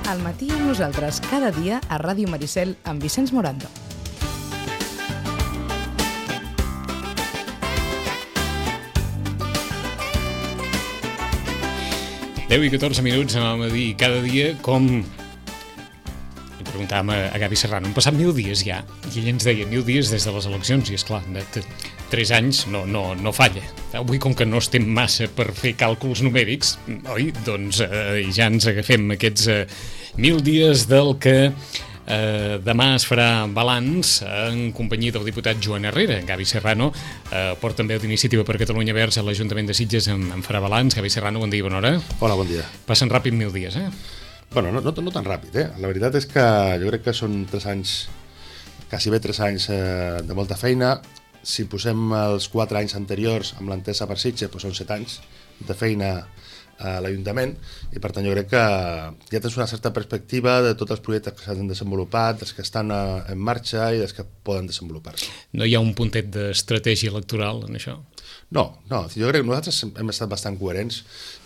Al matí amb nosaltres cada dia a Ràdio Maricel amb Vicenç Morando. Deu i 14 minuts anàvem a dir cada dia com... Li preguntàvem a Gavi Serrano, han passat 1000 dies ja, i ell ens deia 1000 dies des de les eleccions, i esclar, de 3 anys no falla. Avui, com que no estem massa per fer càlculs numèrics, oi? Doncs ja ens agafem aquests 1000 dies del que demà es farà balanç en companyia del diputat Joan Herrera. Gavi Serrano porta també d'Iniciativa per Catalunya Verds a l'Ajuntament de Sitges en farà balanç. Gavi Serrano, bon dia i bona hora. Hola, bon dia. Passen ràpid 1000 dies, eh? Bueno, no tan ràpid, eh? La veritat és que jo crec que són 3 anys, quasi bé 3 anys de molta feina. Si posem els 4 anys anteriors amb l'entesa per Sitges, doncs són 7 anys de feina a l'Ajuntament, i per tant jo crec que ja tens una certa perspectiva de tots els projectes que s'han desenvolupat, dels que estan en marxa i dels que poden desenvolupar-se. No hi ha un puntet d'estratègia electoral en això? No, jo crec que nosaltres hem estat bastant coherents,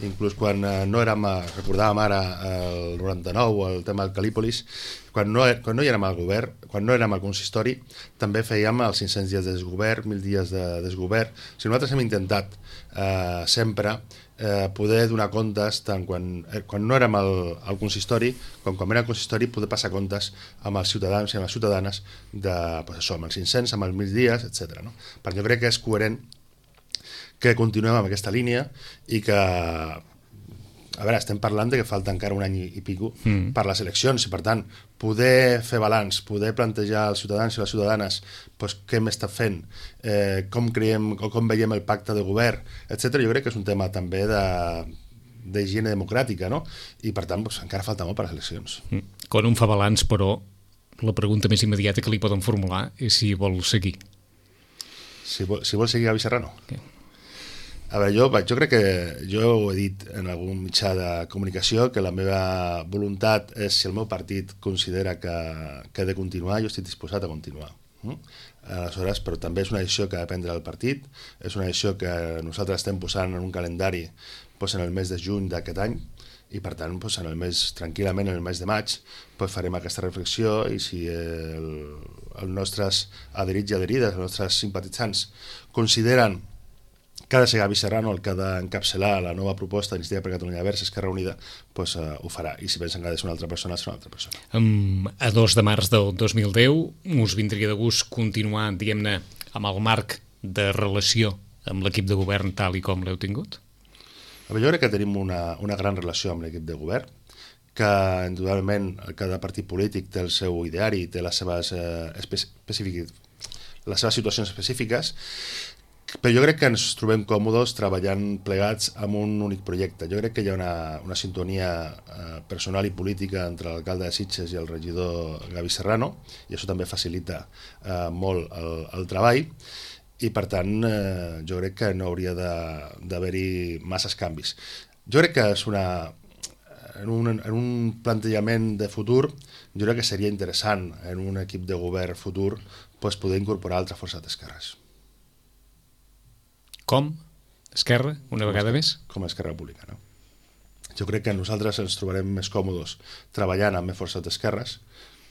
inclús quan no érem, recordàvem ara el 99, el tema del Calípolis, quan no hi érem al govern, quan no érem al consistori, també fèiem els 500 dies de desgovern, 1000 dies de desgovern. O sigui, nosaltres hem intentat sempre poder donar comptes tant quan no érem al consistori com quan érem al consistori, poder passar comptes amb els ciutadans i amb les ciutadanes amb els 500, amb els 1000 dies, etc. No? Perquè jo crec que és coherent que continuem amb aquesta línia i que, a veure, estem parlant de que falta encara un any i pico per les eleccions, i per tant poder fer balanç, poder plantejar als ciutadans i les ciutadanes què hem estat fent, com creiem o com veiem el pacte de govern, etc. Jo crec que és un tema també d'higiene democràtica, no? I per tant encara falta molt per les eleccions. Quan un fa balanç, però, la pregunta més immediata que li poden formular és si vol seguir. Si vol seguir Gavi Serrano? Okay. A veure, jo crec que jo ho he dit en algun mitjà de comunicació, que la meva voluntat és, si el meu partit considera que he de continuar, jo estic disposat a continuar. Aleshores, però també és una decisió que ha de prendre el partit, és una decisió que nosaltres estem posant en un calendari en el mes de juny d'aquest any, i per tant, tranquil·lament en el mes de maig, farem aquesta reflexió, i si els nostres adherits i adherides, els nostres simpatitzants, consideren que ha de ser Gavi Serrano el que ha d'encapçalar la nova proposta d'Iniciativa per Catalunya Verds, Esquerra Unida, ho farà. I si pensen que ha de ser una altra persona, serà una altra persona. A 2 de març del 2010 us vindria de gust continuar, diguem-ne, amb el marc de relació amb l'equip de govern tal i com l'heu tingut? Jo crec que tenim una gran relació amb l'equip de govern, que indudablement cada partit polític té el seu ideari, té les seves situacions específiques, però jo crec que ens trobem còmodes treballant plegats amb un únic projecte. Jo crec que hi ha una sintonia personal i política entre l'alcalde de Sitges i el regidor Gavi Serrano, i això també facilita molt el treball, i per tant jo crec que no hauria d'haver-hi masses canvis. Jo crec que és en un plantejament de futur, jo crec que seria interessant en un equip de govern futur poder incorporar altres forces d'esquerres. Com? Esquerra, una vegada més? Com a Esquerra Republicana. Jo crec que nosaltres ens trobarem més còmodes treballant amb més forces d'esquerres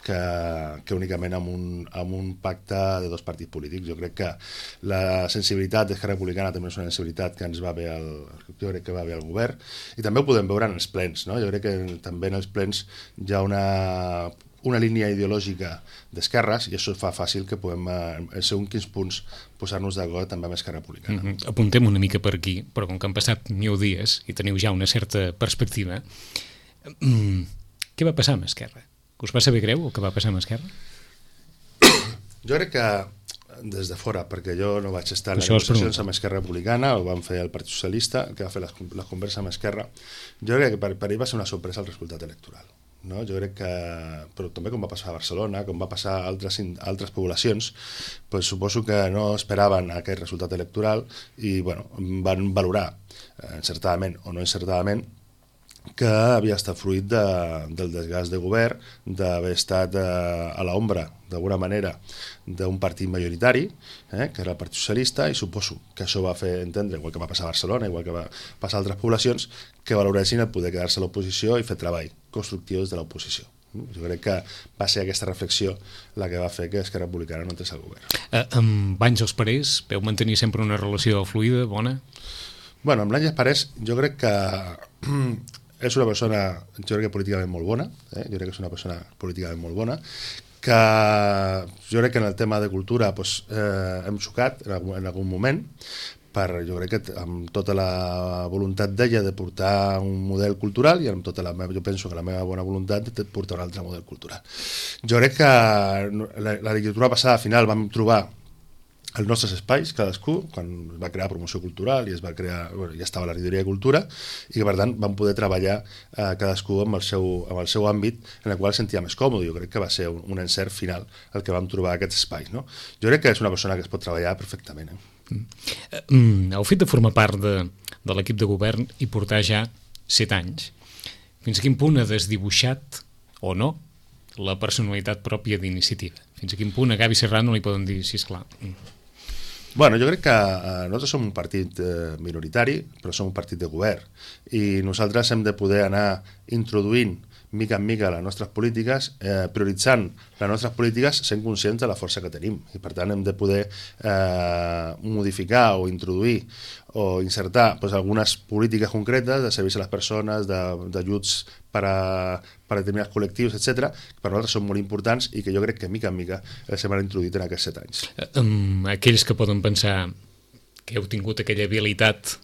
que únicament amb un pacte de 2 partits polítics. Jo crec que la sensibilitat d'Esquerra Republicana també és una sensibilitat que ens va bé al govern, i també ho podem veure en els plens, no? Jo crec que també en els plens hi ha una línia ideològica d'esquerres, i això fa fàcil que puguem, en segons quins punts, posar-nos d'acord també amb Esquerra Republicana. Apuntem una mica per aquí, però com que han passat 1000 dies i teniu ja una certa perspectiva, què va passar amb Esquerra? Us va saber greu el que va passar amb Esquerra? Jo crec que des de fora, perquè jo no vaig estar en les negociacions amb Esquerra Republicana, ho van fer el Partit Socialista, que va fer les converses amb Esquerra. Jo crec que per ell va ser una sorpresa el resultat electoral. No? Jo crec que, però també com va passar a Barcelona, com va passar a altres poblacions, suposo que no esperaven aquest resultat electoral i van valorar, encertadament o no encertadament, que havia estat fruit del desgast de govern, d'haver estat a l'ombra, d'alguna manera, d'un partit majoritari, que era el Partit Socialista, i suposo que això va fer entendre, igual que va passar a Barcelona, igual que va passar a altres poblacions, que valoressin el poder quedar-se a l'oposició i fer treball constructiu des de l'oposició. Jo crec que va ser aquesta reflexió la que va fer que Esquerra Republicana no entrés al govern. Amb Àngels Parés veu mantenir sempre una relació fluida, bona? Bueno, amb l'Àngels Parés jo crec que és una persona, jo crec que políticament molt bona, jo crec que és una persona políticament molt bona, que jo crec que en el tema de cultura doncs, hem xocat en algun moment, jo crec que amb tota la voluntat d'ella de portar un model cultural i amb tota jo penso que la meva bona voluntat de portar un altre model cultural. Jo crec que la legislatura passada al final vam trobar els nostres espais, cadascú, quan es va crear promoció cultural i es va crear, ja estava la regidoria de cultura, i que per tant vam poder treballar cadascú amb el seu àmbit en el qual es sentia més còmode. Jo crec que va ser un encert final el que vam trobar aquests espais. No? Jo crec que és una persona que es pot treballar perfectament. El fet de formar part de l'equip de govern i portar ja 7 anys, fins a quin punt ha desdibuixat o no la personalitat pròpia d'Iniciativa? Fins a quin punt a Gavi Serrano li poden dir, sisplau? Bueno, jo crec que nosaltres som un partit minoritari, però som un partit de govern, i nosaltres hem de poder anar introduint mica en mica les nostres polítiques, prioritzant les nostres polítiques sent conscients de la força que tenim, i per tant hem de poder modificar o introduir o insertar algunes polítiques concretes de serveis a les persones, d'ajuts per a determinats col·lectius, etc., que per nosaltres són molt importants i que jo crec que mica en mica els hem introduït en aquests 7 anys. Aquells que poden pensar que heu tingut aquella habilitat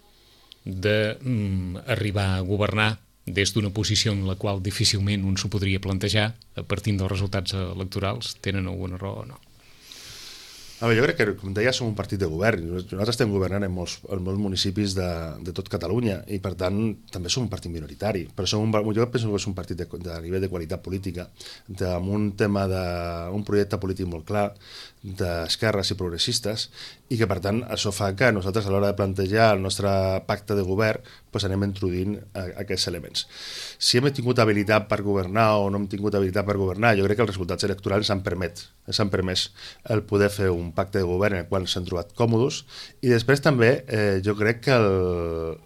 d'arribar a governar des d'una posició en la qual difícilment un s'ho podria plantejar a partir dels resultats electorals, tenen alguna raó o no? Jo crec que, com deia, som un partit de govern. Nosaltres estem governant en molts municipis de tot Catalunya i, per tant, també som un partit minoritari. Però jo penso que és un partit de nivell de qualitat política, amb un tema d'un projecte polític molt clar, d'esquerres i progressistes, i que, per tant, això fa que nosaltres, a l'hora de plantejar el nostre pacte de govern, anem introduint aquests elements. Si hem tingut habilitat per governar o no hem tingut habilitat per governar, jo crec que els resultats electorals ens han permès el poder fer un pacte de govern en el qual ens hem trobat còmodes, i després també jo crec que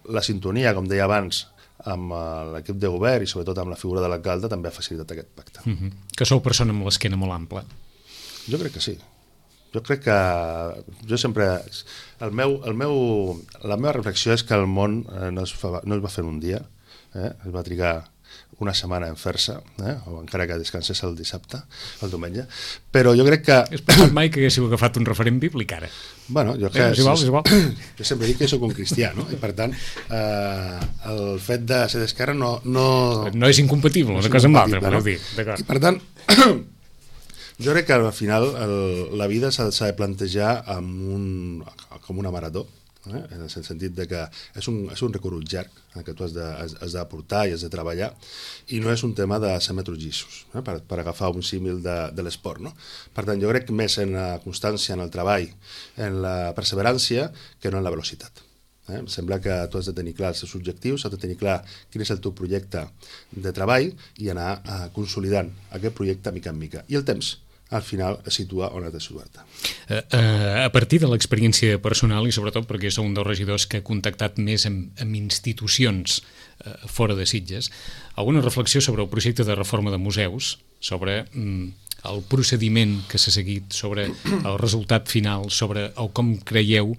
la sintonia, com deia abans, amb l'equip de govern i sobretot amb la figura de l'alcalde també ha facilitat aquest pacte. Que sou persona amb l'esquena molt ampla. Jo crec que sí. Jo crec que jo sempre... La meva reflexió és que el món no es va fer en un dia, es va trigar una setmana en fer-se, o encara que descansés el dissabte, el diumenge, però jo crec que... Has pensat mai que haguéssiu agafat un referent bíblic ara? Bueno, jo sempre dic que soc un cristià, no? I per tant, el fet de ser d'esquerra no... No és incompatible, una cosa amb l'altra, voleu dir. I per tant... Jo crec que al final la vida s'ha de plantejar com una marató, en el sentit de que és un recorregut llarg que tu has d'aportar i has de treballar, i no és un tema de 100 metres llisos, per agafar un símil de l'esport. No? Per tant, jo crec més en la constància, en el treball, en la perseverància, que no en la velocitat. Em sembla que tu has de tenir clar els teus objectius, has de tenir clar quin és el teu projecte de treball i anar consolidant aquest projecte mica en mica. I el temps, al final, es situa on has de situar-te. A partir de l'experiència personal, i sobretot perquè sou un dels regidors que ha contactat més amb institucions fora de Sitges, alguna reflexió sobre el projecte de reforma de museus, sobre el procediment que s'ha seguit, sobre el resultat final, sobre com creieu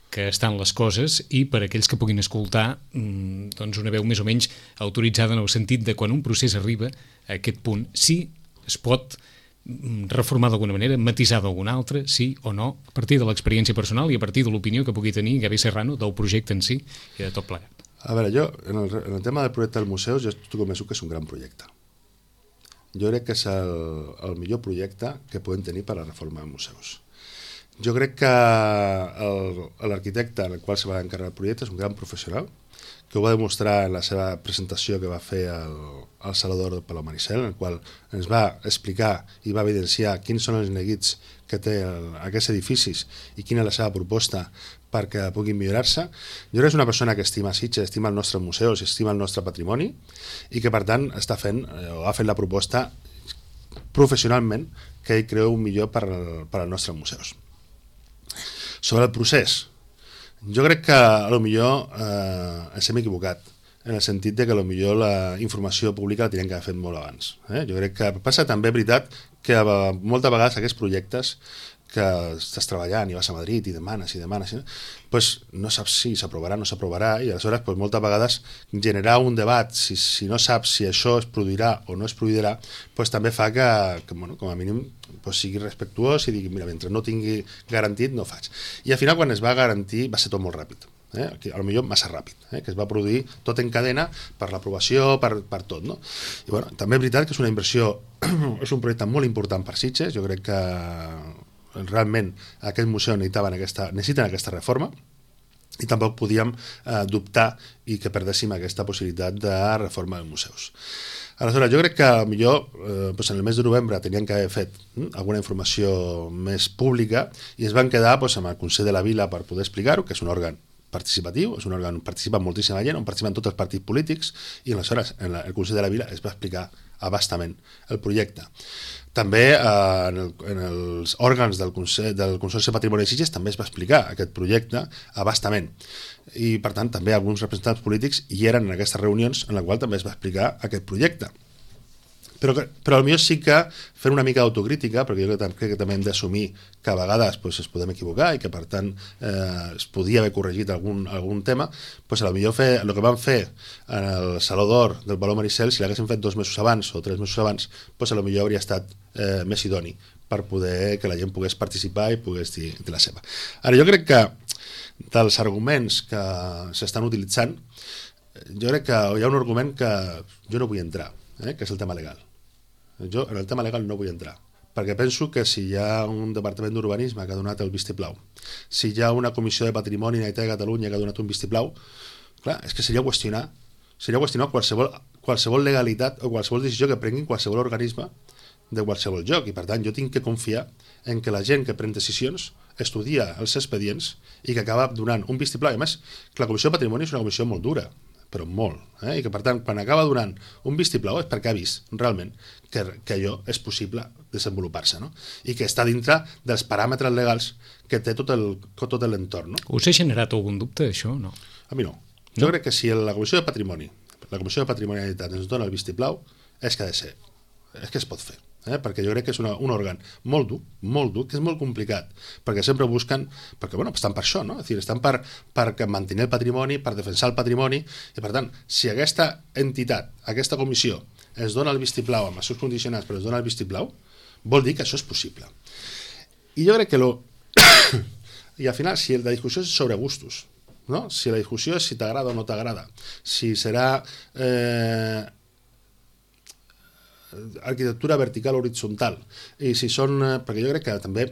que estan les coses, i per a aquells que puguin escoltar una veu més o menys autoritzada en el sentit de quan un procés arriba a aquest punt, si es pot reformar d'alguna manera, matisar d'alguna altra, sí o no, a partir de l'experiència personal i a partir de l'opinió que pugui tenir Gavi Serrano del projecte en si i de tot plegat. A veure, jo, en el tema del projecte dels museus, jo estic convençut que és un gran projecte. Jo crec que és el millor projecte que podem tenir per a la reforma dels museus. Jo crec que l'arquitecte en el qual se va encarregar el projecte és un gran professional, que ho va demostrar en la seva presentació que va fer al Salvador del Palau Maricel, en el qual ens va explicar i va evidenciar quins són els neguits que té aquests edificis i quina és la seva proposta perquè puguin millorar-se. Jo crec que és una persona que estima Sitges, estima els nostres museus, estima el nostre patrimoni, i que per tant ha fet la proposta professionalment que ell creu millor per als nostres museus. Sobre el procés, jo crec que potser ens hem equivocat en el sentit de que potser la informació pública la tenien que haver fet molt abans. Jo crec que passa també, veritat, que moltes vegades aquests projectes que estàs treballant i vas a Madrid i demanes, doncs no saps si s'aprovarà o no s'aprovarà, i aleshores doncs, moltes vegades generar un debat, si no saps si això es produirà o no es produirà, doncs també fa que bueno, com a mínim doncs, sigui respectuós i digui, mira, mentre no tingui garantit no faig. I al final quan es va garantir va ser tot molt ràpid. Potser massa ràpid, que es va produir tot en cadena per l'aprovació, per tot, no? I bueno, també és veritat que és una inversió, és un projecte molt important per Sitges. Jo crec que realment aquest museu necessiten aquesta reforma, i tampoc podíem dubtar i que perdéssim aquesta possibilitat de reforma dels museus. Aleshores, jo crec que potser en el mes de novembre tenien que haver fet alguna informació més pública i es van quedar amb el Consell de la Vila per poder explicar-ho, que és un òrgan participatiu, és un òrgan on participa moltíssima gent, on participen tots els partits polítics, i aleshores el Consell de la Vila es va explicar abastament el projecte. També en els òrgans del Consorci de Patrimoni de Sitges també es va explicar aquest projecte abastament, i per tant també alguns representants polítics hi eren en aquestes reunions en la qual també es va explicar aquest projecte. Però potser sí que fer una mica d'autocrítica, perquè jo crec que també hem d'assumir que a vegades es podem equivocar i que per tant es podia haver corregit algun tema, potser el que vam fer en el Saló d'Or del Palau Maricel, si l'haguéssim fet 2 mesos abans o 3 mesos abans, potser hauria estat més idoni per poder que la gent pogués participar i pogués dir la seva. Ara, jo crec que dels arguments que s'estan utilitzant, jo crec que hi ha un argument que jo no vull entrar, que és el tema legal. Jo en el tema legal no vull entrar, perquè penso que si hi ha un departament d'urbanisme que ha donat el vistiplau, si hi ha una comissió de patrimoni de Catalunya que ha donat un vistiplau, clar, és que seria qüestionar qualsevol legalitat o qualsevol decisió que prenguin qualsevol organisme de qualsevol lloc, i per tant jo tinc que confiar en que la gent que pren decisions estudia els expedients i que acaba donant un vistiplau. I a més, la comissió de patrimoni és una comissió molt dura, però molt, i que per tant quan acaba donant un vistiplau és perquè ha vist realment que allò és possible desenvolupar-se, no? I que està dintre dels paràmetres legals que té tot l'entorn, no? Us ha generat algun dubte, això, no? A mi no. Jo crec que si la Comissió de Patrimonialitat ens dona el vistiplau, és que ha de ser, és que es pot fer. Perquè jo crec que és un òrgan molt dur, que és molt complicat, perquè sempre busquen, perquè estan per això, no? És a dir, estan per mantenir el patrimoni, per defensar el patrimoni, i per tant, si aquesta entitat, aquesta comissió, ens dona el vistiplau amb els seus condicionants, però ens dona el vistiplau, vol dir que això és possible. I jo crec que i al final, si la discussió és sobre gustos, no? Si la discussió és si t'agrada o no t'agrada, si serà arquitectura vertical o horitzontal, i si són, perquè jo crec que també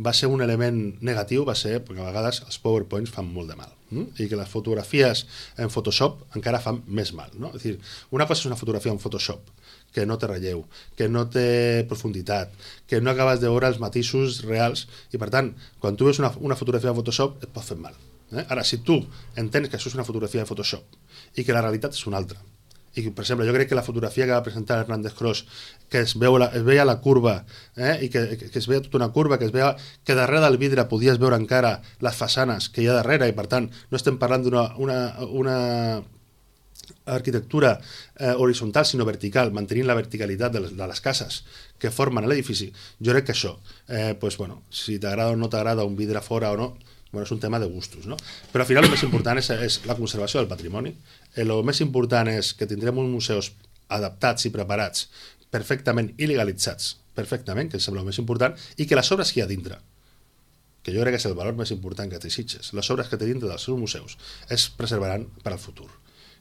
va ser un element negatiu, va ser perquè a vegades els PowerPoints fan molt de mal, i que les fotografies en Photoshop encara fan més mal, no? És a dir, una cosa és una fotografia en Photoshop que no té relleu, que no té profunditat, que no acabes de veure els matisos reals, i per tant, quan tu veus una fotografia en Photoshop et pot fer mal. Ara, si tu entens que això és una fotografia de Photoshop i que la realitat és una altra, i per exemple, jo crec que la fotografia que va presentar Hernández Cros, que es veia la curva, i que es veia tota una curva, que es veia que darrere del vidre podies veure encara les façanes que hi ha darrere, i per tant no estem parlant d'una arquitectura horitzontal sinó vertical, mantenint la verticalitat de les cases que formen l'edifici. Jo crec que això, si t'agrada o no t'agrada un vidre fora o no, és un tema de gustos, no? Però al final el més important és la conservació del patrimoni. El més important és que tindrem uns museus adaptats i preparats perfectament i legalitzats perfectament, que sembla el més important, i que les obres que hi ha dintre, que jo crec que és el valor més important que té Sitges, les obres que té dintre dels seus museus es preservaran per al futur.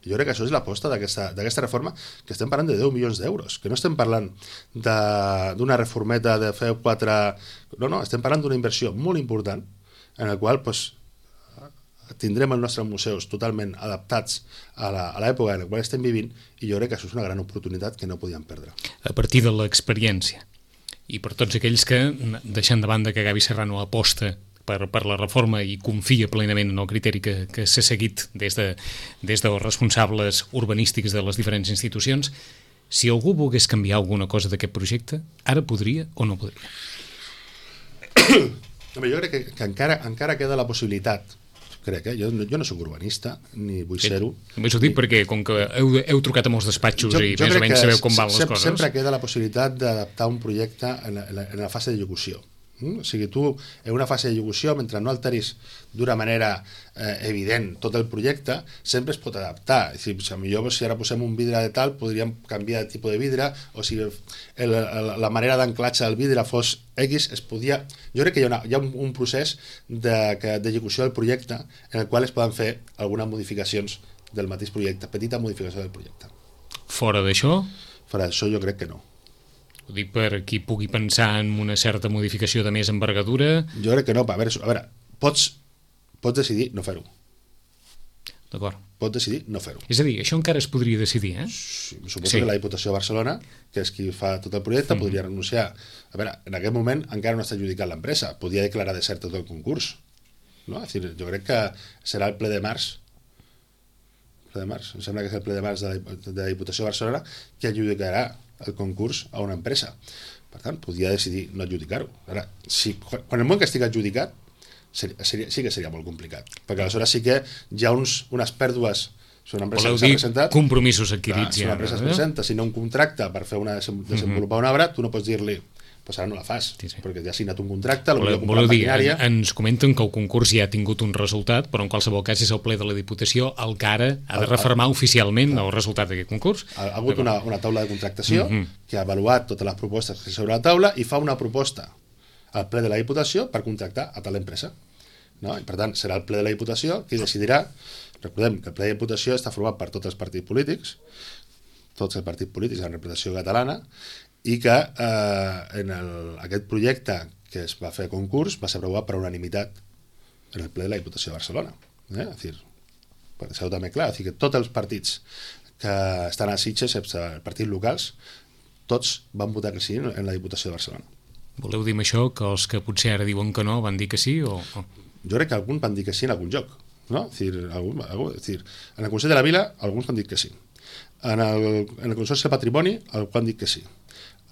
Jo crec que això és l'aposta d'aquesta reforma, que estem parlant de 10 milions d'euros, que no estem parlant d'una reformeta de fer 4... No, estem parlant d'una inversió molt important en el qual tindrem els nostres museus totalment adaptats a l'època en la qual estem vivint, i jo crec que això és una gran oportunitat que no podíem perdre. A partir de l'experiència, i per tots aquells que, deixant de banda que Gavi Serrano aposta per la reforma i confia plenament en el criteri que s'ha seguit des dels responsables urbanístics de les diferents institucions, si algú volgués canviar alguna cosa d'aquest projecte, ara podria o no podria? Jo crec que encara queda la possibilitat, crec, jo no soc urbanista, ni vull ser-ho. Només ho dic perquè, com que heu trucat a molts despatxos i més o menys sabeu com van les coses... Sempre queda la possibilitat d'adaptar un projecte en la fase d'execució. O sigui, tu, en una fase d'execució, mentre no alteris d'una manera evident tot el projecte, sempre es pot adaptar. És dir, millor, si ara posem un vidre de tal, podríem canviar de tipus de vidre, o si la manera d'anclatge del vidre fos X, es podia... Jo crec que hi ha un procés d'execució del projecte en el qual es poden fer algunes modificacions del mateix projecte, petita modificació del projecte. Fora d'això? Fora d'això jo crec que no. Ho dic per qui pugui pensar en una certa modificació de més envergadura. Jo crec que no. A veure, pots decidir no fer-ho. D'acord. Pots decidir no fer-ho. És a dir, això encara es podria decidir, eh? Sí, suposo que la Diputació de Barcelona, que és qui fa tot el projecte, podria renunciar. A veure, en aquest moment encara no està adjudicat l'empresa. Podria declarar desert tot el concurs. No? És dir, jo crec que serà el ple de març. Em sembla que és el ple de març de la Diputació de Barcelona que adjudicarà el concurs a una empresa. Per tant, podria decidir no adjudicar-ho. Ara, quan el moment que estigui adjudicat, sí que seria molt complicat, perquè aleshores sí que hi ha unes pèrdues. Si una empresa s'ha presentat... compromisos adquirits. Si una empresa es presenta, si no un contracte per fer desenvolupar una obra, tu no pots dir-li pues ara no la fas, perquè ja ha signat un contracte, voleu dir, ens comenten que el concurs ja ha tingut un resultat, però en qualsevol cas és el ple de la Diputació el que ara ha de refermar oficialment el resultat d'aquest concurs. Ha hagut una taula de contractació que ha avaluat totes les propostes que sobre la taula i fa una proposta al ple de la Diputació per contractar a tal empresa. No? I per tant, serà el ple de la Diputació qui decidirà. Recordem que el ple de la Diputació està format per tots els partits polítics amb representació catalana, i que aquest projecte que es va fer a concurs va ser aprovat per unanimitat en el ple de la Diputació de Barcelona. És dir, per deixar-ho també clar, és dir, que tots els partits que estan a Sitges, els partits locals, tots van votar que sí en la Diputació de Barcelona. Voleu dir amb això que els que potser ara diuen que no van dir que sí? O... Jo crec que alguns van dir que sí en algun lloc. No? És dir, en el Consell de la Vila alguns van dir que sí. En el Consorci de Patrimoni algú han dit que sí.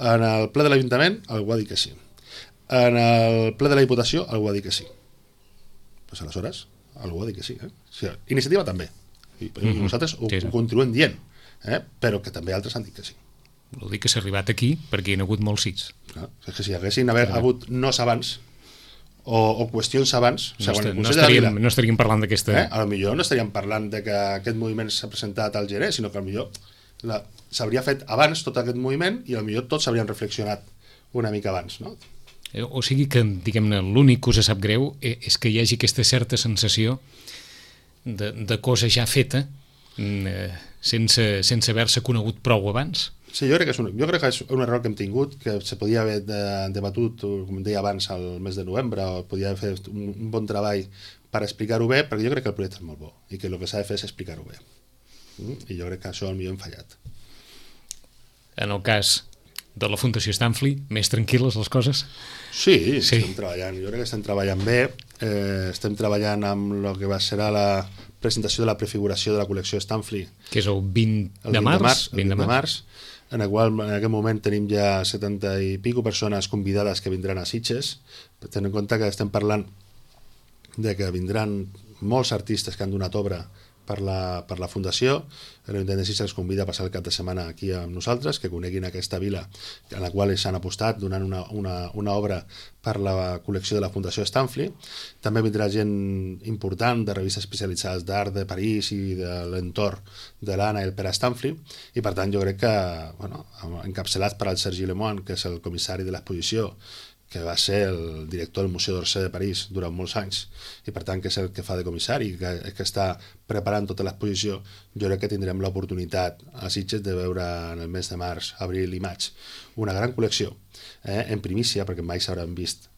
En el ple de l'Ajuntament algú ha dit que sí. En el ple de la Diputació algú ha dit que sí. Pues aleshores algú ha dit que sí. O sigui, Iniciativa també. I nosaltres ho continuem dient, però que també altres han dit que sí. Vol dir que s'ha arribat aquí perquè hi ha hagut molts sits. És que si haguessin hagut nos abans o qüestions abans, no estaríem parlant d'aquesta... A lo millor no estaríem parlant de que aquest moviment s'ha presentat al gener, sinó que a lo millor s'hauria fet abans tot aquest moviment i a lo millor tots s'haurien reflexionat una mica abans, no? O sigui que, diguem-ne, l'únic que us sap greu és que hi hagi aquesta certa sensació de cosa ja feta sense haver-se conegut prou abans. Sí, jo crec que és un error que hem tingut, que se podia haver debatut, com deia abans, al mes de novembre, o podia haver fet un bon treball per explicar-ho bé, perquè jo crec que el projecte és molt bo i que el que s'ha de fer és explicar-ho bé. I jo crec que això potser hem fallat. En el cas de la Fundació Stanfli, més tranquil·les les coses? Sí, estem treballant. Jo crec que estem treballant bé. Estem treballant amb el que serà la presentació de la prefiguració de la col·lecció Stanfli. Que és el 20 de març. El 20 de març, en el qual en aquest moment tenim ja 70 i pico persones convidades que vindran a Sitges. Tenint en compte que estem parlant de que vindran molts artistes que han donat obra per la Fundació. L'Ajuntament de Sitges els convida a passar el cap de setmana aquí amb nosaltres, que coneguin aquesta vila en la qual s'han apostat donant una obra per la col·lecció de la Fundació Stanfli. També vindrà gent important de revistes especialitzades d'art de París i de l'entorn de l'Anna i el Pere Stanfli, i per tant jo crec que, encapçalat per al Sergi Lemoine, que és el comissari de l'exposició, que va ser el director del Museu d'Orsay de París durant molts anys, i per tant que és el que fa de comissari, que està preparant tota l'exposició, jo crec que tindrem l'oportunitat a Sitges de veure en el mes de març, abril i maig una gran col·lecció, en primícia, perquè mai s'hauran vist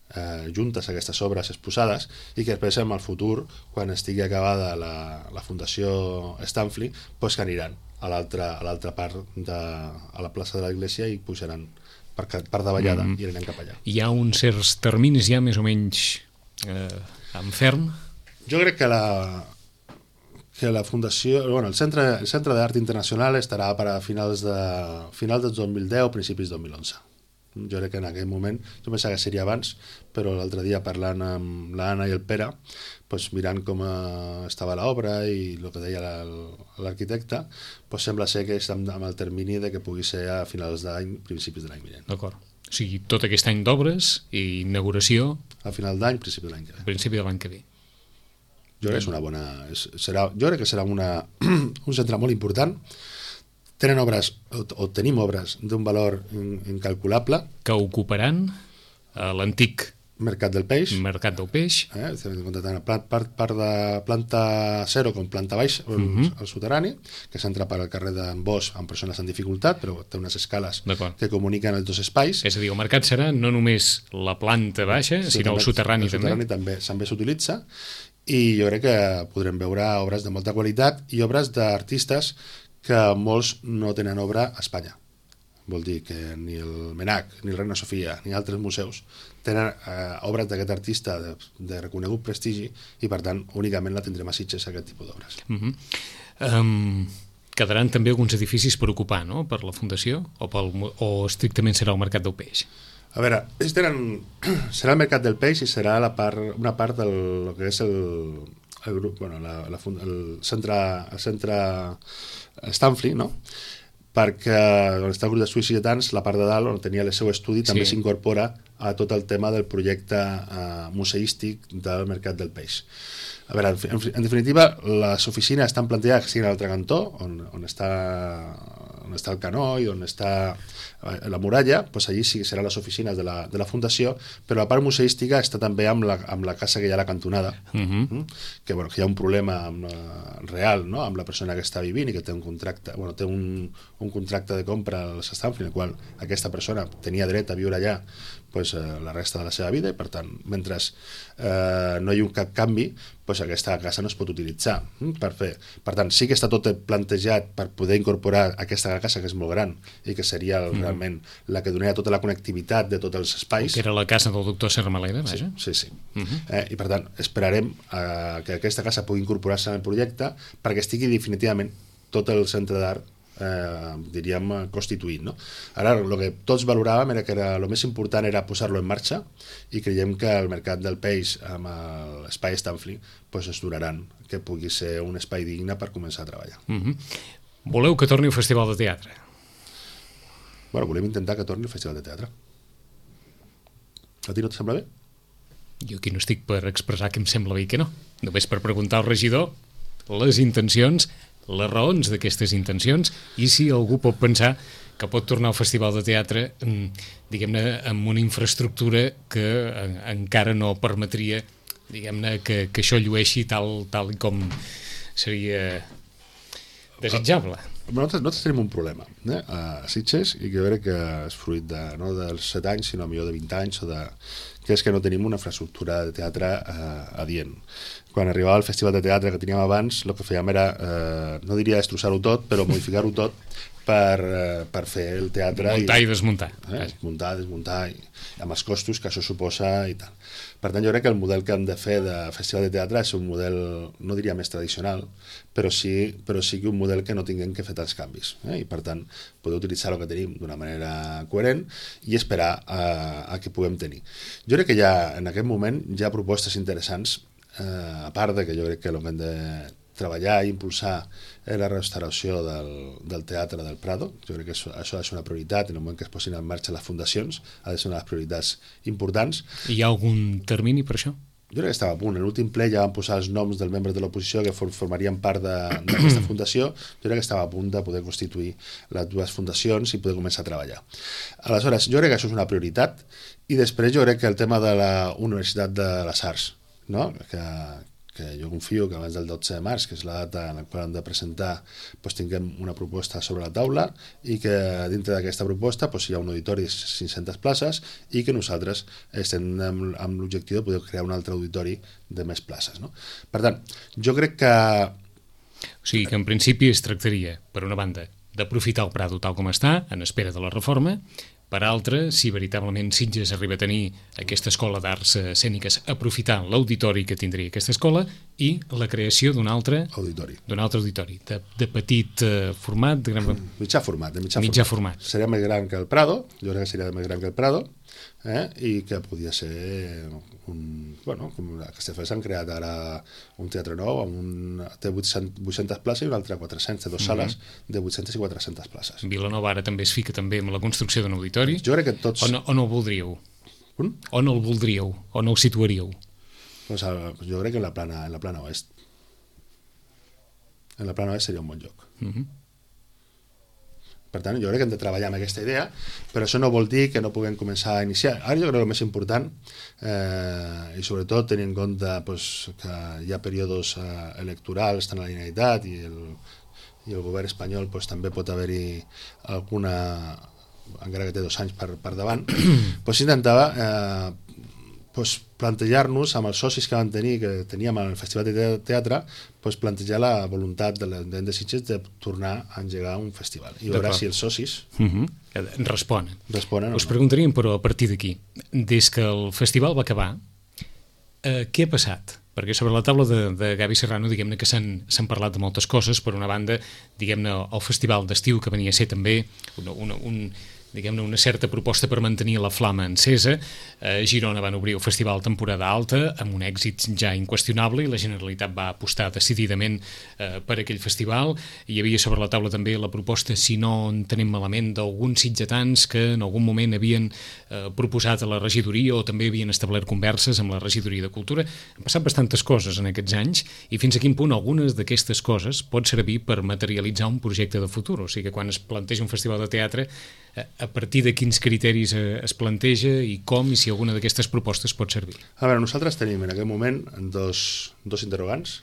juntes aquestes obres exposades, i que després en el futur, quan estigui acabada la Fundació Stanfli, pues que aniran a l'altra part a la plaça de l'església i pujaran per davallada i anirem cap allà. Hi ha uns certs terminis ja més o menys en ferm? Jo crec que la Fundació, el Centre d'Art Internacional estarà per a finals del 2010, principis del 2011. Jo crec que en aquell moment, jo pensava que seria abans, però l'altre dia parlant amb l'Anna i el Pere, doncs mirant com estava l'obra i el que deia l'arquitecte, doncs sembla ser que estem amb el termini de que pugui ser a finals d'any, principis de l'any vinent. D'acord. O sigui, tot aquest any d'obres i inauguració... A final d'any, principi de l'any que ve. A principi de l'any que ve. Jo crec que és una bona... jo crec que serà un centre molt important. Tenen obres, o tenim obres d'un valor incalculable. Que ocuparan l'antic Mercat del Peix. Mercat del Peix. Tant part de planta 0 com planta baixa, el soterrani, que s'entra per al carrer d'en Bosch amb persones en dificultat, però té unes escales que comuniquen els dos espais. És a dir, el mercat serà no només la planta baixa, sinó el soterrani també. El soterrani també s'utilitza, i jo crec que podrem veure obres de molta qualitat i obres d'artistes que molts no tenen obra a Espanya. Vol dir que ni el MNAC, ni el Reina Sofia, ni altres museus tenen obres d'aquest artista de reconegut prestigi i, per tant, únicament la tindrem a Sitges, aquest tipus d'obres. Quedaran també alguns edificis per ocupar, no?, per la Fundació, o estrictament serà el Mercat del Peix? A veure, serà el Mercat del Peix i serà una part del que és el grup, bueno, el centre Stanfli, no?, perquè on està el grup de suïcidants, la part de dalt, on tenia el seu estudi, també s'incorpora a tot el tema del projecte museístic del Mercat del Peix. A veure, en definitiva, les oficines estan plantejades que siguin a l'altre cantó, on està el canó i on està la muralla, doncs allí sí que seran les oficines de la Fundació, però la part museística està també amb la casa que hi ha a la cantonada, que hi ha un problema real, no?, amb la persona que està vivint i que té un contracte, té un contracte de compra als Stanfli, en el qual aquesta persona tenia dret a viure allà la resta de la seva vida, i per tant, mentre no hi ha cap canvi, aquesta casa no es pot utilitzar per fer. Per tant, sí que està tot plantejat per poder incorporar aquesta casa, que és molt gran i que seria realment la que donaria tota la connectivitat de tots els espais. Que era la casa del doctor Serramalera, vaja. Sí. I per tant, esperarem que aquesta casa pugui incorporar-se en el projecte perquè estigui definitivament tot el centre d'art diríem constituït, no? Ara el que tots valoràvem era que el més important era posar-lo en marxa, i creiem que el Mercat del Peix amb l'espai Stanfli es duraran, que pugui ser un espai digne per començar a treballar. Voleu que torni el Festival de Teatre? Bueno, volem intentar que torni el Festival de Teatre. A ti no et sembla bé? Jo aquí no estic per expressar que em sembla bé i que no, només per preguntar al regidor les intencions, les raons d'aquestes intencions, i si algú pot pensar que pot tornar al Festival de Teatre, diguem-ne, amb una infraestructura que encara no permetria, diguem-ne, que això llueixi tal com seria desitjable. Nosaltres tenim un problema a Sitges, i que jo crec que és fruit no dels 7 anys, sinó millor de 20 anys, que és que no tenim una infraestructura de teatre adient. Quan arribava al Festival de Teatre que teníem abans, el que fèiem era, no diria destrossar-ho tot, però modificar-ho tot per fer el teatre. Muntar i desmuntar. Muntar, desmuntar, amb els costos que això suposa i tal. Per tant, jo crec que el model que hem de fer de Festival de Teatre és un model, no diria més tradicional, però sí que un model que no tinguem que fer tants canvis. I per tant, poder utilitzar el que tenim d'una manera coherent i esperar a que puguem tenir. Jo crec que en aquest moment hi ha propostes interessants, a part de que jo crec que el que hem de treballar i impulsar la restauració del Teatre del Prado. Jo crec que això ha de ser una prioritat, en el moment que es posin en marxa les fundacions, ha de ser una de les prioritats importants. Hi ha algun termini per això? Jo crec que estava a punt. En l'últim ple ja van posar els noms dels membres de l'oposició que formarien part d'aquesta fundació. Jo crec que estava a punt de poder constituir les dues fundacions i poder començar a treballar. Aleshores, jo crec que això és una prioritat, i després jo crec que el tema de la Universitat de les Arts, no?, que jo confio que abans del 12 de març, que és la data en la qual hem de presentar, tinguem una proposta sobre la taula, i que dintre d'aquesta proposta hi ha un auditori de 500 places i que nosaltres estem amb l'objectiu de poder crear un altre auditori de més places, no? Per tant, jo crec que... O sigui que en principi es tractaria, per una banda, d'aprofitar el Prado tal com està, en espera de la reforma, per altra, si veritablement Sitges arriba a tenir aquesta escola d'arts escèniques, aprofitar l'auditori que tindria aquesta escola i la creació d'un altre auditori, de petit format, de gran... mitjà format. Mitjà format. Seria més gran que el Prado, jo crec que seria més gran que el Prado, i que podia ser com a Castelldefels s'han creat ara un teatre nou té 800 places i un altre 400, té dues sales de 800 i 400 places. Vilanova ara també es fica també amb la construcció d'un auditori. Jo crec que tots... On ho voldríeu? On el voldríeu? On ho situaríeu? Pues jo crec que en la plana oest. En la plana oest seria un bon lloc. Per tant, jo crec que hem de treballar amb aquesta idea, però això no vol dir que no puguem començar a iniciar. Ara jo crec que el més important, i sobretot tenint en compte que hi ha períodes electorals tant a la Generalitat i el govern espanyol també pot haver-hi alguna, encara que té 2 anys per davant, intentava plantejar-nos amb els socis que vam tenir, que teníem al Festival de Teatre, plantejar la voluntat de l'Ajuntament de Sitges de tornar a engegar un festival. I veure si els socis responen. Us preguntaríem, però, a partir d'aquí, des que el festival va acabar, què ha passat? Perquè sobre la taula de Gavi Serrano, diguem-ne que s'han parlat de moltes coses. Per una banda, diguem-ne, el festival d'estiu, que venia a ser també una certa proposta per mantenir la flama encesa. A Girona van obrir el festival temporada alta amb un èxit ja inqüestionable i la Generalitat va apostar decididament per aquell festival. Hi havia sobre la taula també la proposta, si no en tenim malament, d'alguns sitgetans que en algun moment havien proposat a la regidoria o també havien establert converses amb la regidoria de Cultura. Han passat bastantes coses en aquests anys i fins a quin punt algunes d'aquestes coses pot servir per materialitzar un projecte de futur. O sigui que quan es planteja un festival de teatre, a partir de quins criteris es planteja i com i si alguna d'aquestes propostes pot servir? A veure, nosaltres tenim en aquest moment dos interrogants,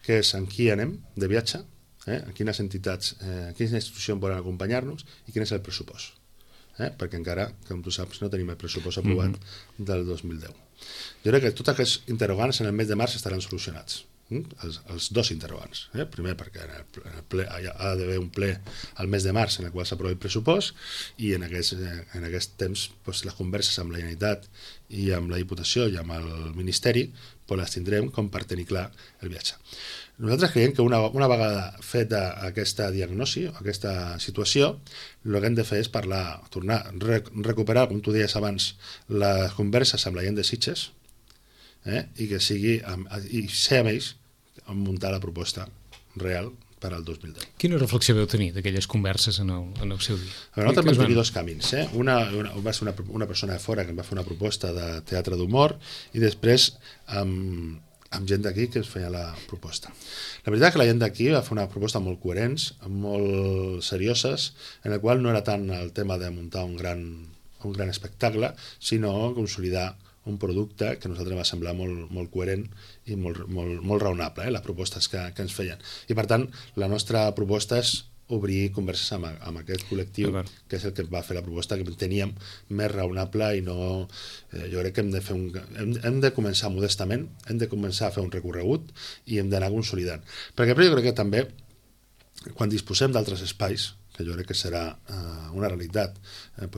que és en qui anem de viatge, a quines entitats, a quines institucions volen acompanyar-nos i quin és el pressupost. Perquè encara, com tu saps, no tenim el pressupost aprovat del 2010. Jo crec que tots aquests interrogants en el mes de març estaran solucionats. Els dos interrogants. Primer perquè ha d'haver un ple al mes de març en el qual s'aprovi el pressupost i en aquest temps les converses amb la Generalitat i amb la Diputació i amb el Ministeri les tindrem com per tenir clar el viatge. Nosaltres creiem que una vegada feta aquesta diagnosi, aquesta situació, el que hem de fer és parlar, tornar a recuperar, com tu deies abans, les converses amb la gent de Sitges, i que sigui i ser amb ells a muntar la proposta real per al 2010. Quina reflexió veu tenir d'aquelles converses en el seu dia? Nosaltres vam tenir dos camins. Va ser una persona de fora que em va fer una proposta de teatre d'humor i després amb gent d'aquí que es feia la proposta. La veritat és que la gent d'aquí va fer una proposta molt coherents, molt serioses, en la qual no era tant el tema de muntar un gran espectacle, sinó consolidar un producte que a nosaltres va semblar molt coherent i molt raonable, les propostes que ens feien. I per tant, la nostra proposta és obrir converses amb aquest col·lectiu, que és el que va fer la proposta que teníem més raonable i no... Jo crec que hem de començar modestament, hem de començar a fer un recorregut i hem d'anar consolidant. Perquè jo crec que també, quan disposem d'altres espais, que jo crec que serà una realitat, en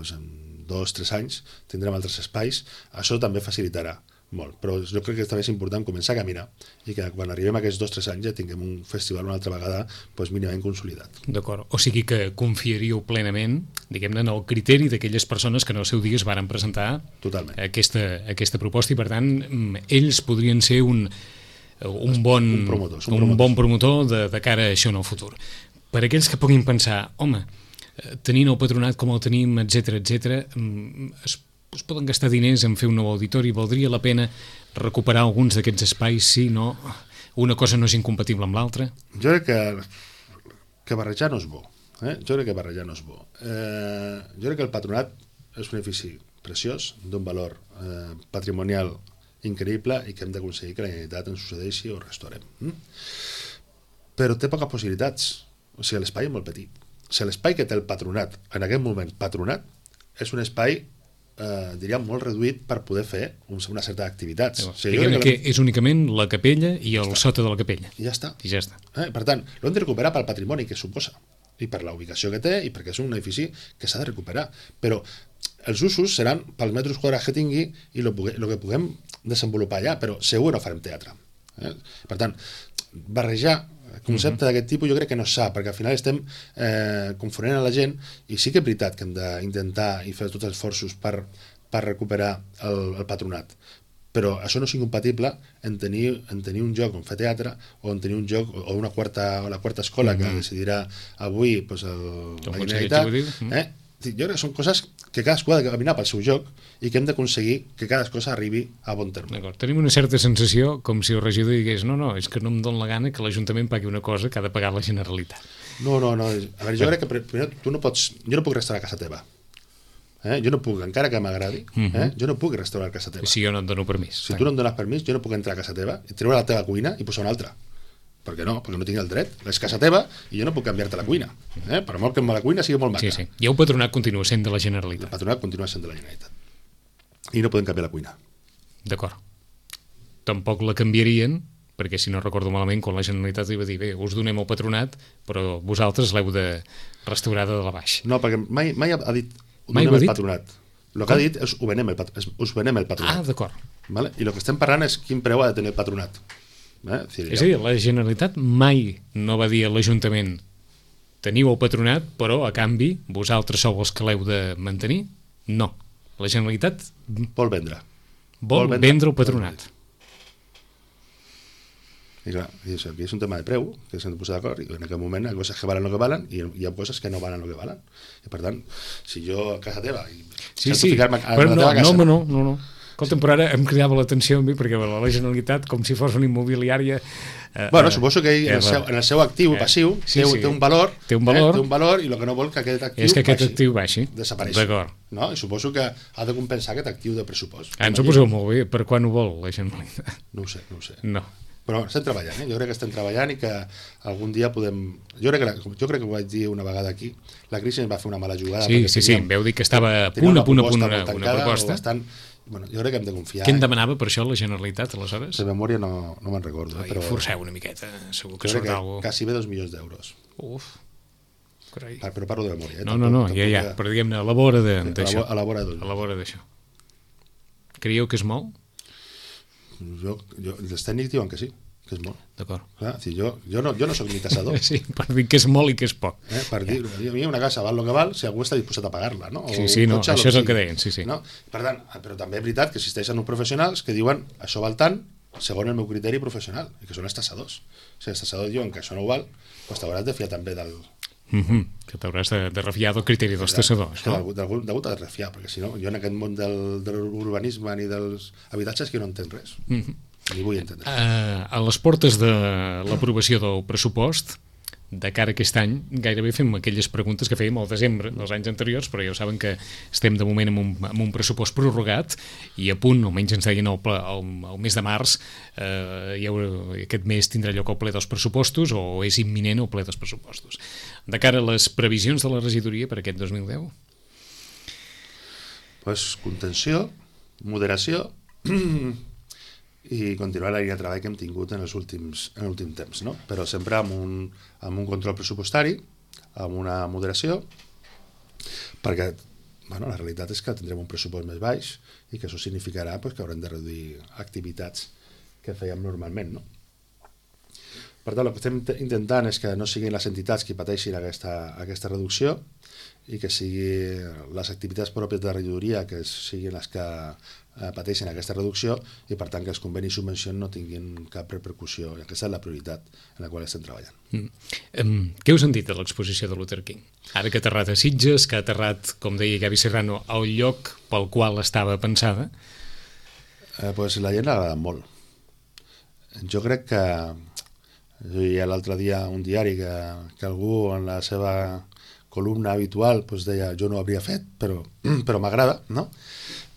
2 o 3 anys tindrem altres espais, això també facilitarà molt, però jo crec que també és important començar a caminar i que quan arribem a aquests 2 o 3 anys ja tinguem un festival una altra vegada mínimament consolidat. D'acord, o sigui que confiaríeu plenament, diguem-ne, en el criteri d'aquelles persones que en el seu dia es varen presentar aquesta proposta i per tant ells podrien ser un bon promotor de cara a això en el futur. Per aquells que puguin pensar, home, tenint el patronat com el tenim, etc, es poden gastar diners en fer un nou auditori, valdria la pena recuperar alguns d'aquests espais si no una cosa no és incompatible amb l'altra? Jo crec que barrejar no és bo. Jo crec que el patronat és un edifici preciós, d'un valor patrimonial increïble i que hem d'aconseguir que la Generalitat ens succeeixi o restaurem. Però té poques possibilitats. O sigui, l'espai és molt petit. O sigui, l'espai que té el patronat, en aquest moment patronat, és un espai, diríem, molt reduït per poder fer una certa activitat. O sigui, que és únicament la capella i el sota de la capella. I ja està. Per tant, l'hem de recuperar pel patrimoni que suposa. i per la ubicació que té i perquè és un edifici que s'ha de recuperar, però els usos seran pels metres quadrats que tingui i el que puguem desenvolupar allà, però segur no farem teatre. Per tant, barrejar concepte d'aquest tipus jo crec que no s'ha, perquè al final estem confonent a la gent, i sí que és veritat que hem d'intentar i fer tots els esforços per recuperar el patronat, però això no és incompatible en tenir un lloc on fer teatre o en tenir un lloc o la quarta escola que decidirà avui la Generalitat. Jo crec que són coses que cadascú ha de caminar pel seu joc i que hem d'aconseguir que cada cosa arribi a bon terme. D'acord. Tenim una certa sensació com si el regidor digués no, és que no em dóna la gana que l'Ajuntament pagui una cosa que ha de pagar la Generalitat. No. A veure, jo crec que primer jo no puc restaurar a casa teva. Jo no puc, encara que m'agradi, jo no puc restaurar a casa teva. Si jo no et dono permís. Si tu no em dones permís, jo no puc entrar a casa teva i treure la teva cuina i posar una altra. Per què no? Perquè no tinc el dret. És casa teva i jo no puc canviar-te la cuina. Per molt que la cuina sigui molt maca. Sí. I el patronat continua sent de la Generalitat. El patronat continua sent de la Generalitat. I no podem canviar la cuina. D'acord. Tampoc la canviarien, perquè si no recordo malament, quan la Generalitat li va dir bé, us donem el patronat, però vosaltres l'heu de restaurar de la baix. No, perquè mai ha dit donem el patronat. El que ha dit és us venem el patronat. Ah, d'acord. Vale? I el que estem parlant és quin preu ha de tenir el patronat. És a dir, la Generalitat mai no va dir a l'Ajuntament teniu el patronat, però a canvi vosaltres sou els que l'heu de mantenir? No. La Generalitat vol vendre el patronat. I clar, aquí és un tema de preu que s'han de posar d'acord, i en aquest moment hi ha coses que valen el que valen i hi ha coses que no valen el que valen, i per tant, si jo a casa teva ficar-me a la teva casa... No. Escolta'm, però ara em cridava l'atenció a mi perquè la Generalitat, com si fos una immobiliària... suposo que ell, en el seu actiu passiu té un valor i el que no vol que aquest actiu és que aquest actiu baixi. Desapareixi. No? I suposo que ha de compensar aquest actiu de pressupost. Ens ho poseu molt bé. Per quan ho vol la Generalitat? No ho sé. No. Però estem treballant, jo crec que estem treballant i que algun dia podem... Jo crec que ho vaig dir una vegada aquí, la crisi ens va fer una mala jugada. Sí, veu dir que estava a punt una proposta. Jo crec que hem de confiar. Què en demanava per això la Generalitat, aleshores? De memòria no me'n recordo. Però forceu una miqueta, segur que surt alguna cosa. Quasi bé 2 milions d'euros. Uf, carai. Però parlo de memòria. No, ja, però diguem-ne, a la vora d'això. A la vora d'això. Creieu que és molt? Els tècnics diuen que sí, que és molt. D'acord. Clar, jo no soc ni tassador. Sí, per dir que és molt i que és poc. Per dir, a mi una casa val el que val si algú està disposat a pagar-la, no? Això és el que deien, sí. No? Per tant, però també és veritat que existeixen uns professionals que diuen això val tant segons el meu criteri professional, i que són els tassadors. Si els tassadors diuen que això no ho val, doncs t'hauràs de fiar també del... Que t'hauràs de refiar del criteri dels tassadors. D'algú t'ha de refiar, perquè si no, jo en aquest món de l'urbanisme ni dels habitatges que no entenc res. Ni vull entendre. A les portes de l'aprovació del pressupost, de cara a aquest any, gairebé fem aquelles preguntes que fèiem al desembre dels anys anteriors, però ja ho saben que estem de moment amb un pressupost prorrogat i a punt, almenys ens deien el mes de març, aquest mes tindrà lloc el ple dels pressupostos o és imminent el ple dels pressupostos. De cara a les previsions de la regidoria per aquest 2010? Contenció, moderació i continuar la línia de treball que hem tingut en l'últim temps, no? Però sempre amb un control pressupostari, amb una moderació, perquè la realitat és que tindrem un pressupost més baix i que això significarà que haurem de reduir activitats que fèiem normalment, no? Per tant, el que estem intentant és que no siguin les entitats qui pateixin aquesta reducció i que siguin les activitats pròpies de la regidoria que siguin les que pateixen aquesta reducció i per tant que els convenis i subvencions no tinguin cap repercussió, i aquesta és la prioritat en la qual estem treballant. Què us han dit de l'exposició de Luther King? Ara que ha aterrat a Sitges, que ha aterrat, com deia Gavi Serrano, al lloc pel qual estava pensada? La gent l'ha agradat molt. Jo crec que llegia l'altre dia un diari que algú en la seva columna habitual deia jo no ho hauria fet, però m'agrada, no?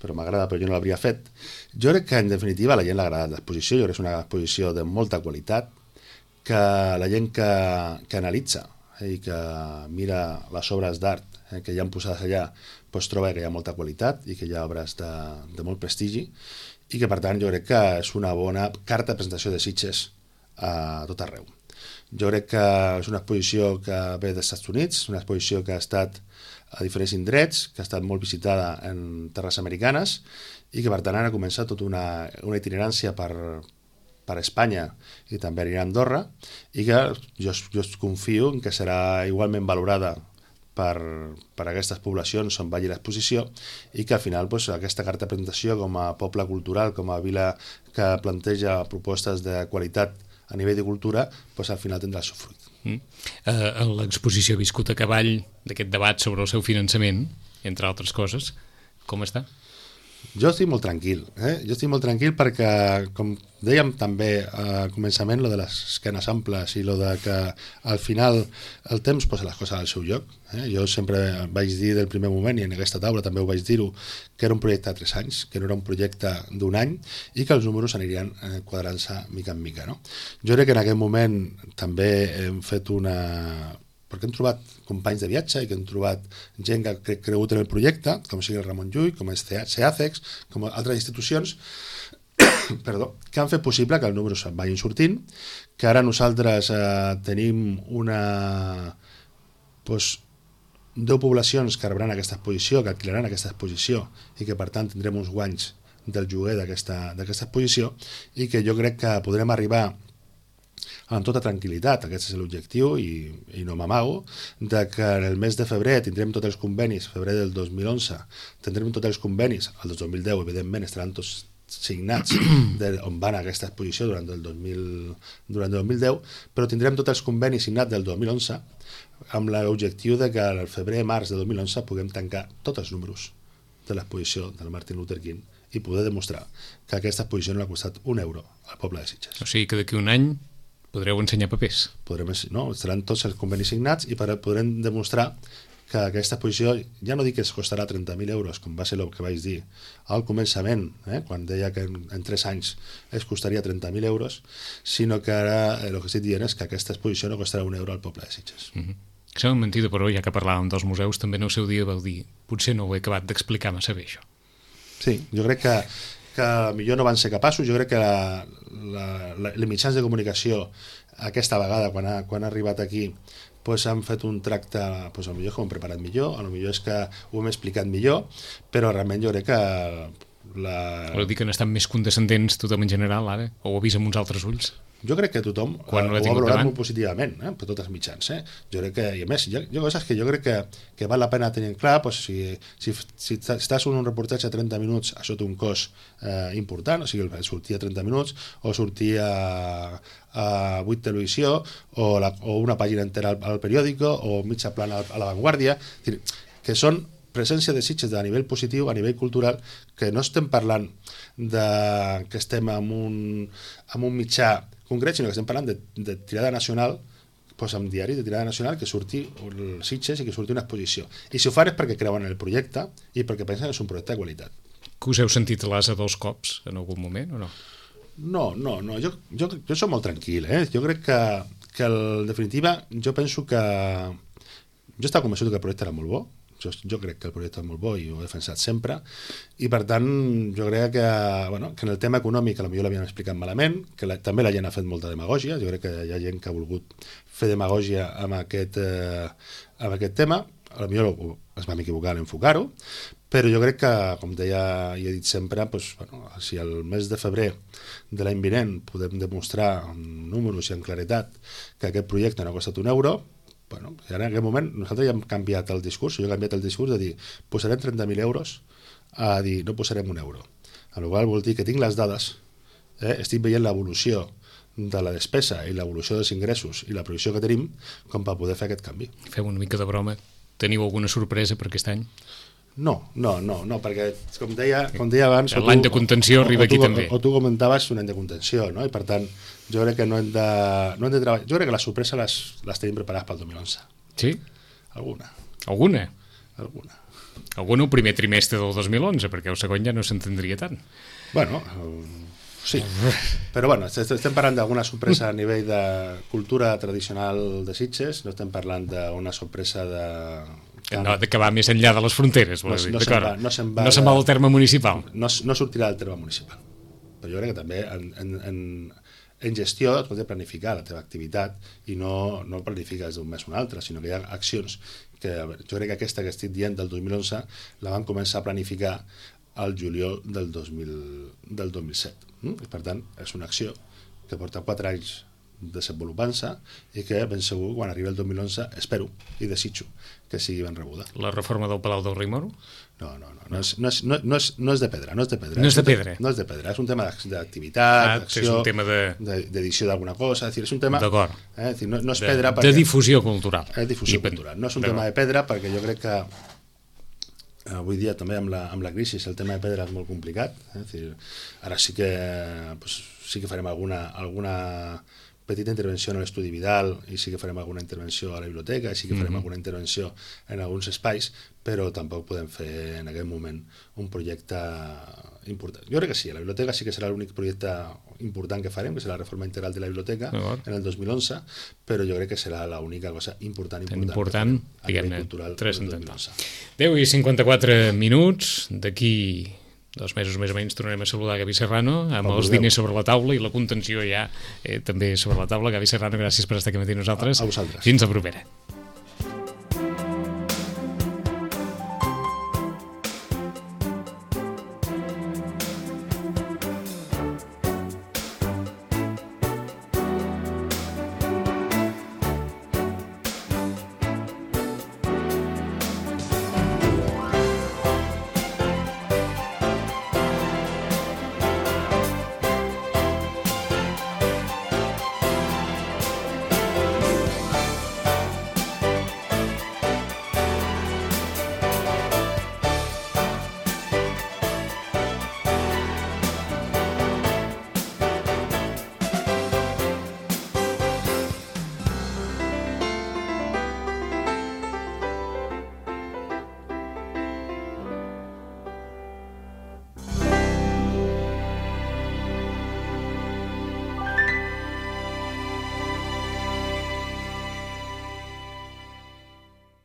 Però jo no l'hauria fet. Jo crec que en definitiva a la gent l'ha agradat l'exposició, jo crec que és una exposició de molta qualitat, que la gent que analitza i que mira les obres d'art que hi ha posades allà troba que hi ha molta qualitat i que hi ha obres de molt prestigi i que per tant jo crec que és una bona carta de presentació de Sitges a tot arreu. Jo crec que és una exposició que ve dels Estats Units, una exposició que ha estat a diferents indrets, que ha estat molt visitada en terres americanes i que per tant ara comença tota una itinerància per Espanya i també anirà a Andorra i que jo confio en que serà igualment valorada per aquestes poblacions on vagi l'exposició i que al final aquesta carta de presentació com a poble cultural, com a vila que planteja propostes de qualitat a nivell de cultura, al final tindrà el seu fruit. L'exposició ha viscut a cavall d'aquest debat sobre el seu finançament, entre altres coses. Com està? Jo estic molt tranquil, Jo estic molt tranquil perquè, com dèiem també al començament, lo de les esquenes amples i lo de que al final el temps posa les coses al seu lloc. Jo sempre vaig dir del primer moment, i en aquesta taula també ho vaig dir-ho, que era un projecte de 3 anys, que no era un projecte d'1 any i que els números anirien quadrant-se mica en mica. No? Jo crec que en aquest moment també hem fet perquè hem trobat companys de viatge i que hem trobat gent que ha cregut en el projecte, com sigui el Ramon Llull, com és CEACEX, com altres institucions, que han fet possible que els números vagin sortint, que ara nosaltres tenim 10 poblacions que rebran aquesta exposició, que alquilaran aquesta exposició i que per tant tindrem uns guanys del lloguer d'aquesta exposició i que jo crec que podrem arribar amb tota tranquil·litat, aquest és l'objectiu i no m'amago, que en el mes de febrer tindrem tots els convenis, febrer del 2011, tindrem tots els convenis, el 2010 evidentment estaran tots signats on van a aquesta exposició durant el 2010, però tindrem tots els convenis signats del 2011 amb l'objectiu de que al febrer-març de 2011 puguem tancar tots els números de l'exposició del Martin Luther King i poder demostrar que aquesta exposició no ha costat €1 al poble de Sitges. O sigui que d'aquí un any podreu ensenyar papers. Estaran tots els convenis signats i podrem demostrar que aquesta exposició, ja no dic que es costarà 30.000 euros, com va ser el que vaig dir al començament, quan deia que en 3 anys es costaria 30.000 euros, sinó que ara el que estic dient és que aquesta exposició no costarà €1 al poble de Sitges. Sembla mentida, però ja que parlàvem dels museus, també en el seu dia vau dir potser no ho he acabat d'explicar massa bé, això. Sí, jo crec que millor no van ser capaços. Jo crec que els mitjans de comunicació aquesta vegada, quan ha arribat aquí, han fet un tracte, potser que ho hem preparat millor, potser és que ho hem explicat millor, però realment jo crec que Vol dir que n'estan més condescendents tothom en general, ara? O ho ha vist amb uns altres ulls? Jo crec que tothom ho ha valorat molt positivament, per tots els mitjans. Jo crec que, i a més, hi ha coses que jo crec que val la pena tenir clar, si estàs en un reportatge a 30 minuts, això té un cost important, o sigui, sortir a 30 minuts, o sortir a 8 televisió, o una pàgina entera al periòdico, o mitja plana a La Vanguardia, que són presència de Sitges a nivell positiu, a nivell cultural, que no estem parlant que estem en un mitjà concret, sinó que estem parlant de tirada nacional, amb diari de tirada nacional, que surti el Sitges i que surti una exposició. I si ho fan és perquè creuen en el projecte i perquè pensen que és un projecte de qualitat. Que us heu sentit l'asa 2 cops en algun moment o no? No, jo soc molt tranquil, Jo crec que en definitiva, jo penso que jo estava convençut que el projecte era molt bo. Jo crec que el projecte és molt bo i ho he defensat sempre, i per tant jo crec que en el tema econòmic potser l'havíem explicat malament, que també la gent ha fet molta demagògia. Jo crec que hi ha gent que ha volgut fer demagògia amb aquest tema, potser es vam equivocar en enfocar-ho, però jo crec que, com deia i he dit sempre, si el mes de febrer de l'any vinent podem demostrar amb números i amb claretat que aquest projecte no ha costat €1, en aquest moment nosaltres ja hem canviat el discurs. Jo he canviat el discurs de dir posarem 30.000 euros a dir no posarem €1, amb la qual cosa vol dir que tinc les dades, estic veient l'evolució de la despesa i l'evolució dels ingressos i la previsió que tenim com per poder fer aquest canvi. Feu una mica de broma. Teniu alguna sorpresa per aquest any? No, perquè com deia abans... L'any de contenció arriba aquí també. O tu comentaves un any de contenció, no? I per tant jo crec que no hem de treballar. Jo crec que les sorpreses les tenim preparades pel 2011. Sí? Alguna. Alguna el primer trimestre del 2011, perquè el segon ja no s'entendria tant. Sí, però estem parlant d'alguna sorpresa a nivell de cultura tradicional de Sitges, no estem parlant d'una sorpresa de que va més enllà de les fronteres, no se'n va del terme municipal. No sortirà del terme municipal. Però jo crec que també en gestió et pots planificar la teva activitat i no planifiques d'un mes a un altre, sinó que hi ha accions que jo crec que aquesta que estic dient del 2011 la van començar a planificar al juliol del 2007. I per tant, és una acció que porta 4 anys desenvolupant-se i que ben segur quan arribi el 2011 espero i desitjo que sigui ben rebuda. La reforma del Palau del Rei Moro? No és de pedra. No és de pedra. No és de pedra? No és de pedra, és un tema d'activitat, d'acció, és un tema d'edició d'alguna cosa, és un tema... D'acord. No és pedra perquè... De difusió cultural. Difusió cultural. No és un tema de pedra perquè jo crec que avui dia també amb la crisi el tema de pedra és molt complicat. Ara sí que farem alguna petita intervenció en l'estudi Vidal i sí que farem alguna intervenció a la biblioteca i sí que farem alguna intervenció en alguns espais, però tampoc podem fer en aquest moment un projecte important. Jo crec que sí, la biblioteca sí que serà l'únic projecte important que farem, que serà la reforma integral de la biblioteca en el 2011, però jo crec que serà l'única cosa important a nivell cultural del 2011. 10 i 54 minuts, d'aquí 2 mesos més o menys tornarem a saludar Gavi Serrano amb els diners sobre la taula i la contenció ja també sobre la taula. Gavi Serrano, gràcies per estar aquí amb nosaltres. A vosaltres. Fins la propera.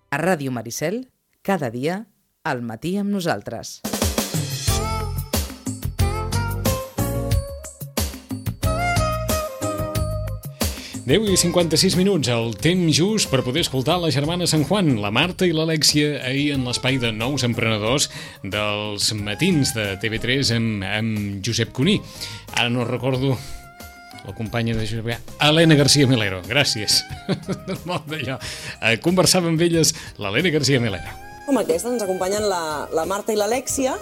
A Ràdio Maricel, cada dia, al matí amb nosaltres. Deu i 56 minuts, el temps just per poder escoltar la germana San Juan, la Marta i l'Alèxia, ahir en l'espai de Nous Emprenedors dels matins de TV3 amb Josep Cuní. Ara no recordo la companya de Josep, Helena García Melero, gràcies. Molt d'allò. Conversava amb elles l'Helena García Melero. Com aquesta ens acompanyen la Marta i l'Alèxia.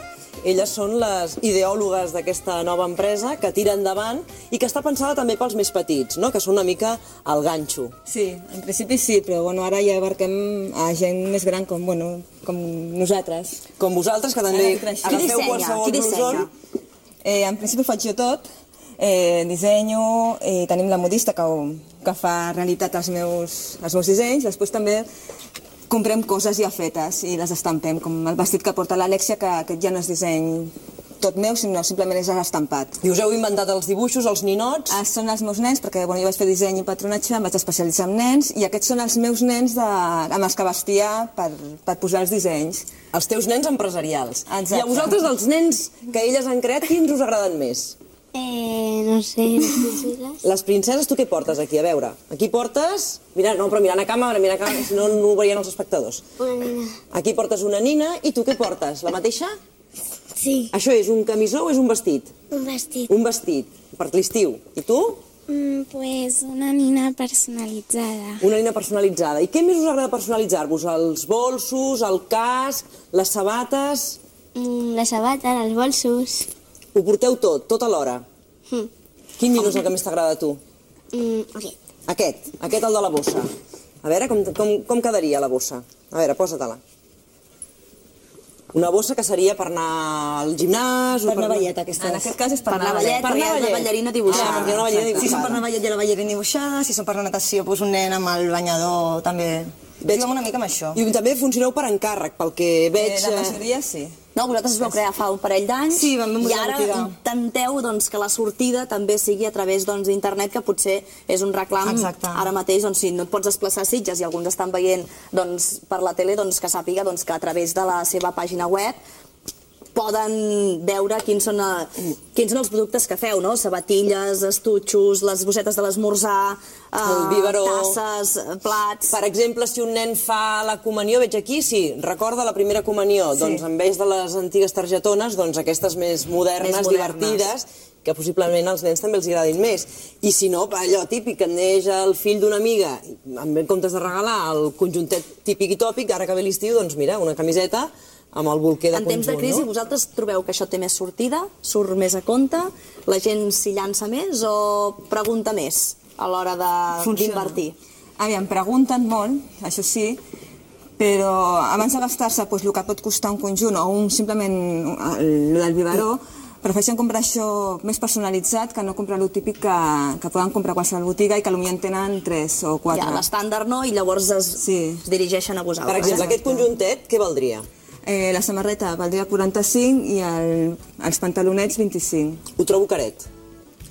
Elles són les ideòlogues d'aquesta nova empresa que tira endavant i que està pensada també pels més petits, no? Que són una mica el ganxo. Sí, en principi sí, però ara ja abarquem a gent més gran com nosaltres. Com vosaltres, que també agafeu qualsevol blusón. En principi ho faig jo tot, dissenyo, tenim la modista que fa realitat els meus dissenys, després també comprem coses ja fetes i les estampem, com el vestit que porta l'Alèxia, que aquest ja no és disseny tot meu, sinó simplement és estampat. I us heu inventat els dibuixos, els ninots? Són els meus nens, perquè jo vaig fer disseny i patronatge, em vaig especialitzar en nens, i aquests són els meus nens amb els que vestia per posar els dissenys. Els teus nens empresarials. Exacte. I a vosaltres, els nens que elles han creat, quins us agraden més? No sé, les princeses. Les princeses, tu què portes aquí? A veure, aquí portes... Però mirant a càmera, si no, no ho veurien els espectadors. Una nina. Aquí portes una nina, i tu què portes? La mateixa? Sí. Això és un camisó o és un vestit? Un vestit. Un vestit, per l'estiu. I tu? Pues una nina personalitzada. Una nina personalitzada. I què més us agrada personalitzar-vos? Els bolsos, el casc, les sabates... La sabata, els bolsos... Ho porteu tot alhora? Quin nino és el que més t'agrada a tu? Aquest. Aquest, el de la bossa. A veure, com quedaria la bossa? A veure, posa-te-la. Una bossa que seria per anar al gimnàs... Per anar a ballet, aquesta. En aquest cas és per anar a ballet, perquè és la ballarina dibuixada. perquè hi ha una ballarina dibuixada. Si són per anar a ballet, hi ha la ballarina dibuixada, si són per la natació, doncs un nen amb el banyador també... Veig una mica amb això. I també funcioneu per encàrrec, pel que veig... La majoria sí. No, vosaltres us vau crear fa un parell d'anys i ara intenteu que la sortida també sigui a través d'internet, que potser és un reclam. Exacte. Ara mateix, si no et pots desplaçar a Sitges i alguns estan veient per la tele, que sàpiga que a través de la seva pàgina web poden veure quins són els productes que feu, no? Sabatilles, estutxos, les bossetes de l'esmorzar, el biberó, tasses, plats... Per exemple, si un nen fa la comunió, veig aquí, sí, recorda la primera comunió, doncs en vez de les antigues targetones, doncs aquestes més modernes, divertides, que possiblement als nens també els agradin més. I si no, allò típic, que neix el fill d'una amiga, en comptes de regalar el conjuntet típic i tòpic, ara que ve l'estiu, doncs mira, una camiseta amb el bolquer de conjunt. En temps de crisi, vosaltres trobeu que això té més sortida? Surt més a compte? La gent s'hi llança més o pregunta més a l'hora d'invertir? Aviam, pregunten molt, això sí, però abans de gastar-se el que pot costar un conjunt o simplement el del biberó, prefereixen comprar això més personalitzat que no comprar el típic que poden comprar a qualsevol botiga i que potser en tenen 3 o 4. Ja, l'estàndard no, i llavors es dirigeixen a vosaltres. Per exemple, aquest conjuntet, què valdria? La samarreta valdria 45 i els pantalonets 25. Ho trobo caret.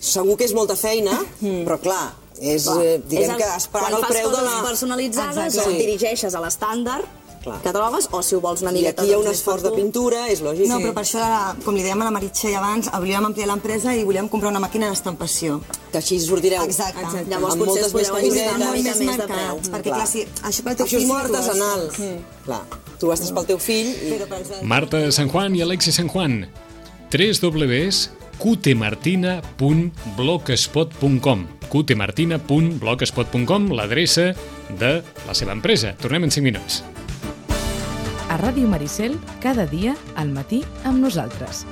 Segur que és molta feina, però clar, diguem que es paga el preu de la... Quan fas coses personalitzades o et dirigeixes a l'estàndard que trobes, o si ho vols una I miqueta... aquí hi ha un esforç de pintura, és lògic. No, però per això, com li dèiem a la Meritxell abans, volíem ampliar l'empresa i volíem comprar una màquina d'estampació. Que així sortireu. Exacte. Llavors potser es podeu ajustar una mica més de preu. Perquè clar, si això pel teu fill... Això és molt artesanal. Clar, tu gastes pel teu fill i... Marta San Juan i Alexi San Juan. www.cutemartina.blogspot.com cutemartina.blogspot.com, l'adreça de la seva empresa. Tornem en 5 minuts. A Ràdio Maricel, cada dia, al matí, amb nosaltres.